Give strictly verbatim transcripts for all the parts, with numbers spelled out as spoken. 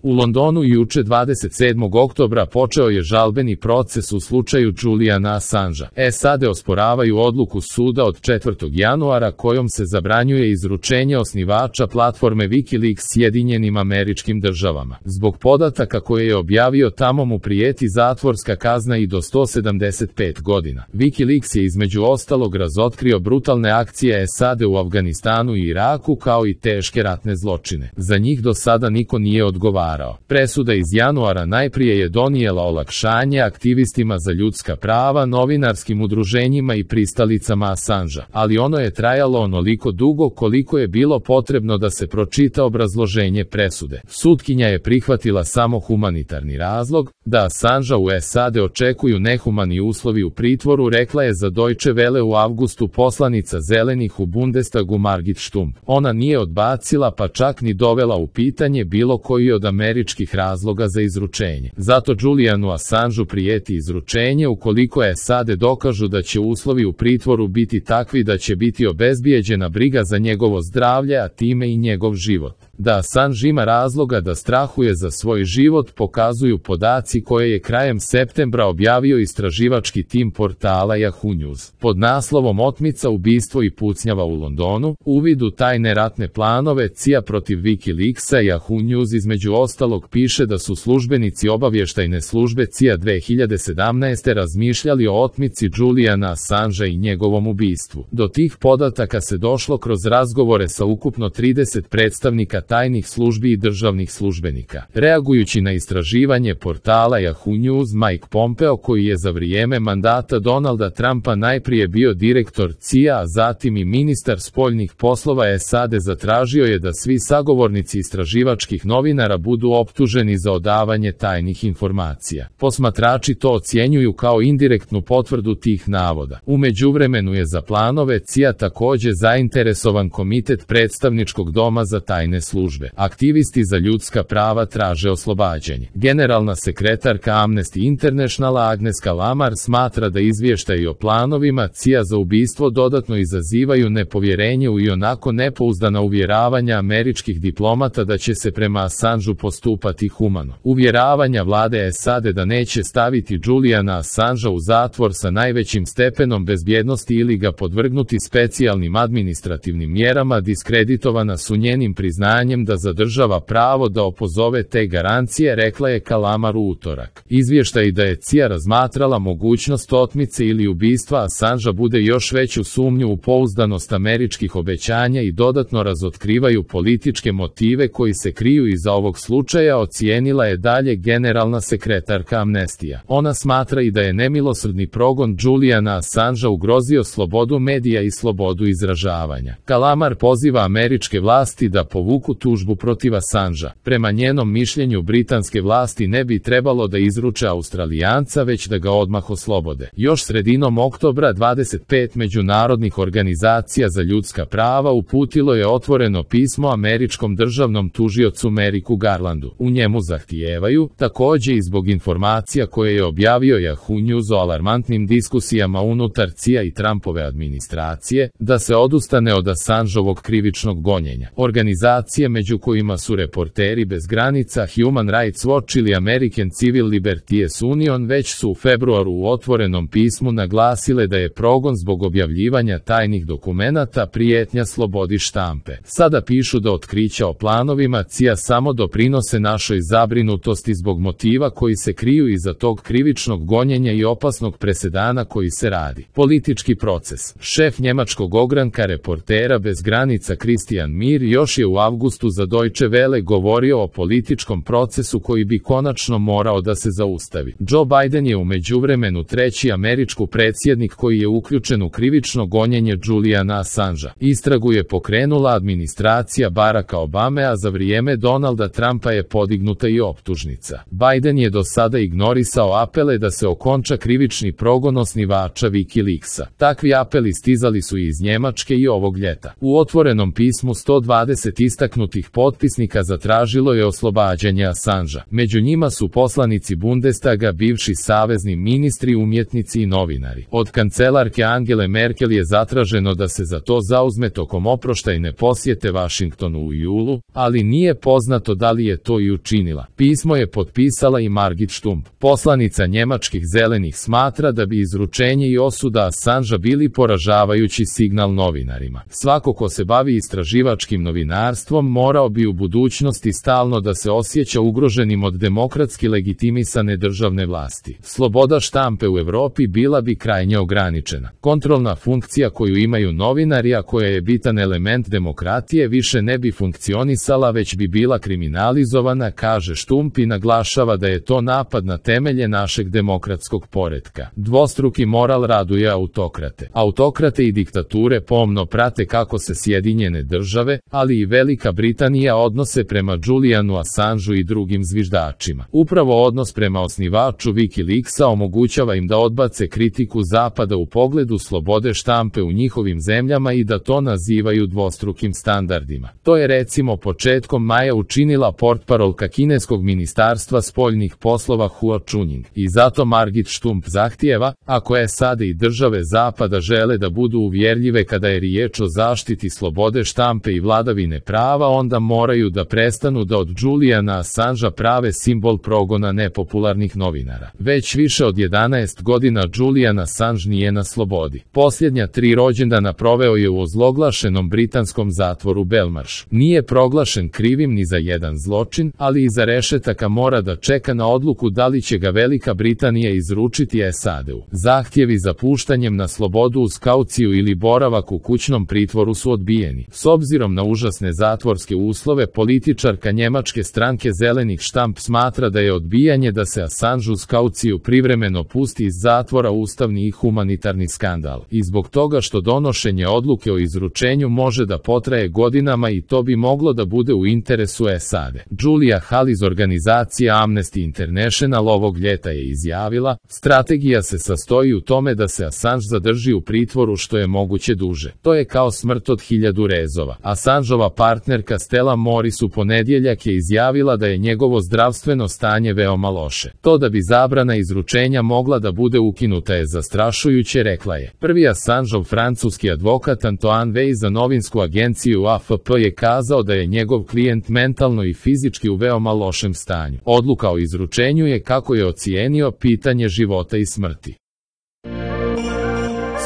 U Londonu juče dvadeset sedmog oktobra počeo je žalbeni proces u slučaju Juliana Assangea. S A D osporavaju odluku suda od četvrtog januara kojom se zabranjuje izručenje osnivača platforme Wikileaks Sjedinjenim Američkim Državama. Zbog podataka koje je objavio tamo mu prijeti zatvorska kazna i do sto sedamdeset pet godina. Wikileaks je između ostalog razotkrio brutalne akcije S A D u Afganistanu i Iraku kao i teške ratne zločine. Za njih do sada niko nije odgovarao. Presuda iz januara najprije je donijela olakšanje aktivistima za ljudska prava, novinarskim udruženjima i pristalicama Assangea, ali ono je trajalo onoliko dugo koliko je bilo potrebno da se pročita obrazloženje presude. Sutkinja je prihvatila samo humanitarni razlog, da Assangea u S A D očekuju nehumani uslovi u pritvoru, rekla je za Deutsche Welle u avgustu poslanica Zelenih u Bundestagu Margit Stumpf. Ona nije odbacila pa čak ni dovela u pitanje bilo koji od američkih razloga za izručenje. Zato Julianu Assangeu prijeti izručenje ukoliko S A D dokažu da će uslovi u pritvoru biti takvi da će biti obezbijeđena briga za njegovo zdravlje, a time i njegov život. Da Assange ima razloga da strahuje za svoj život pokazuju podaci koje je krajem septembra objavio istraživački tim portala Yahoo News. Pod naslovom Otmica, ubistvo i pucnjava u Londonu, uvid u tajne ratne planove C I A protiv Wikileaksa, Yahoo News između ostalog piše da su službenici obavještajne službe C I A dve hiljade sedamnaeste razmišljali o otmici Juliana Assangea i njegovom ubistvu. Do tih podataka se došlo kroz razgovore sa ukupno trideset predstavnika tajnih službi i državnih službenika. Reagujući na istraživanje portala Yahoo News, Mike Pompeo, koji je za vrijeme mandata Donalda Trumpa najprije bio direktor C I A, a zatim i ministar spoljnih poslova S A D, zatražio je da svi sagovornici istraživačkih novinara budu optuženi za odavanje tajnih informacija. Posmatrači to ocjenjuju kao indirektnu potvrdu tih navoda. U međuvremenu je za planove C I A također zainteresovan komitet predstavničkog doma za tajne službe. Aktivisti za ljudska prava traže oslobađanje. Generalna sekretarka Amnesty Internationala Agnes Kalamar smatra da izvještaji o planovima C I A za ubistvo dodatno izazivaju nepovjerenje u ionako nepouzdana uvjeravanja američkih diplomata da će se prema Assangeu postupati humano. Uvjeravanja vlade S A D da neće staviti Juliana Assangea u zatvor sa najvećim stepenom bezbjednosti ili ga podvrgnuti specijalnim administrativnim mjerama diskreditovana su njenim priznanjem da zadržava pravo da opozove te garancije, rekla je Kalamar u utorak. Izvještaj da je C I A razmatrala mogućnost otmice ili ubistva Assangea bude još veću sumnju u pouzdanost američkih obećanja i dodatno razotkrivaju političke motive koji se kriju iza ovog slučaja, ocijenila je dalje generalna sekretarka Amnestija. Ona smatra i da je nemilosrdni progon Juliana Assangea ugrozio slobodu medija i slobodu izražavanja. Kalamar poziva američke vlasti da povuku tužbu protiv Assangea. Prema njenom mišljenju britanske vlasti ne bi trebalo da izruče Australijanca, već da ga odmah oslobode. Još sredinom oktobra dvadeset pet međunarodnih organizacija za ljudska prava uputilo je otvoreno pismo američkom državnom tužiocu Merricu Garlandu. U njemu zahtijevaju, također i zbog informacija koje je objavio Yahoo News o alarmantnim diskusijama unutar C I A i Trumpove administracije, da se odustane od Assangeovog krivičnog gonjenja. Organizacije među kojima su Reporteri bez granica, Human Rights Watch ili American Civil Liberties Union već su u februaru u otvorenom pismu naglasile da je progon zbog objavljivanja tajnih dokumenata prijetnja slobodi štampe. Sada pišu da otkrića o planovima C I A samo doprinose našoj zabrinutosti zbog motiva koji se kriju iza tog krivičnog gonjenja i opasnog presedana koji se radi. Politički proces. Šef njemačkog ogranka Reportera bez granica Christian Mir još je u avgustu za Deutsche Welle govorio o političkom procesu koji bi konačno morao da se zaustavi. Joe Biden je u međuvremenu treći američki predsjednik koji je uključen u krivično gonjenje Juliana Assangea. Istragu je pokrenula administracija Baracka Obame, a za vrijeme Donalda Trumpa je podignuta i optužnica. Biden je do sada ignorisao apele da se okonča krivični progon osnivača Wikileaksa. Takvi apeli stizali su i iz Njemačke i ovog ljeta. U otvorenom pismu sto dvadeset istaknuto nadahnuti potpisnika zatražilo je oslobađanje Assangea. Među njima su poslanici Bundestaga, bivši savezni ministri, umjetnici i novinari. Od kancelarke Angele Merkel je zatraženo da se za to zauzme tokom oproštajne posjete Vašingtonu u julu, ali nije poznato da li je to i učinila. Pismo je potpisala i Margit Stumpf. Poslanica njemačkih zelenih smatra da bi izručenje i osuda Assangea bili poražavajući signal novinarima. Svako ko se bavi istraživačkim novinarstvom morao bi u budućnosti stalno da se osjeća ugroženim od demokratski legitimisane državne vlasti. Sloboda štampe u Evropi bila bi krajnje ograničena. Kontrolna funkcija koju imaju novinari, a koja je bitan element demokratije, više ne bi funkcionisala, već bi bila kriminalizovana, kaže Stumpf i naglašava da je to napad na temelje našeg demokratskog poretka. Dvostruki moral raduje autokrate. Autokrate i diktature pomno prate kako se Sjedinjene države, ali i Velika Britanija odnose prema Julianu Assangeu i drugim zviždačima. Upravo odnos prema osnivaču Wikileaksa omogućava im da odbace kritiku Zapada u pogledu slobode štampe u njihovim zemljama i da to nazivaju dvostrukim standardima. To je recimo početkom maja učinila portparolka kineskog ministarstva spoljnih poslova Hua Chunying. I zato Margit Stumpf zahtijeva, ako S A D i države Zapada žele da budu uvjerljive kada je riječ o zaštiti slobode štampe i vladavine prava, onda moraju da prestanu da od Juliana Assangea prave simbol progona nepopularnih novinara. Već više od jedanaest godina Julian Assange nije na slobodi. Posljednja tri rođendana proveo je u ozloglašenom britanskom zatvoru Belmarsh. Nije proglašen krivim ni za jedan zločin, ali iza rešetaka mora da čeka na odluku da li će ga Velika Britanija izručiti S A D-u. Zahtjevi za puštanjem na slobodu uz kauciju ili boravak u kućnom pritvoru su odbijeni. S obzirom na užasne zatvorske uslove, političarka njemačke stranke Zelenih Štamp smatra da je odbijanje da se Assange uz kauciju privremeno pusti iz zatvora ustavni i humanitarni skandal. I zbog toga što donošenje odluke o izručenju može da potraje godinama i to bi moglo da bude u interesu S A D. Julia Hall iz organizacije Amnesty International ovog ljeta je izjavila: strategija se sastoji u tome da se Assange zadrži u pritvoru što je moguće duže. To je kao smrt od hiljadu rezova. Assangeova partnerka Stella Morris u ponedjeljak je izjavila da je njegovo zdravstveno stanje veoma loše. To da bi zabrana izručenja mogla da bude ukinuta je zastrašujuće, rekla je. Prvi Assangeov francuski advokat Antoine Wey za novinsku agenciju A F P je kazao da je njegov klijent mentalno i fizički u veoma lošem stanju. Odluka o izručenju je, kako je ocijenio, pitanje života i smrti.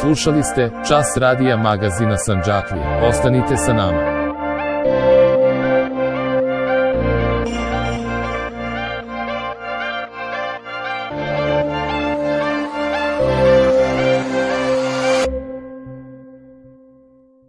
Slušali ste Čas radija magazina Sandžaklije. Ostanite sa nama.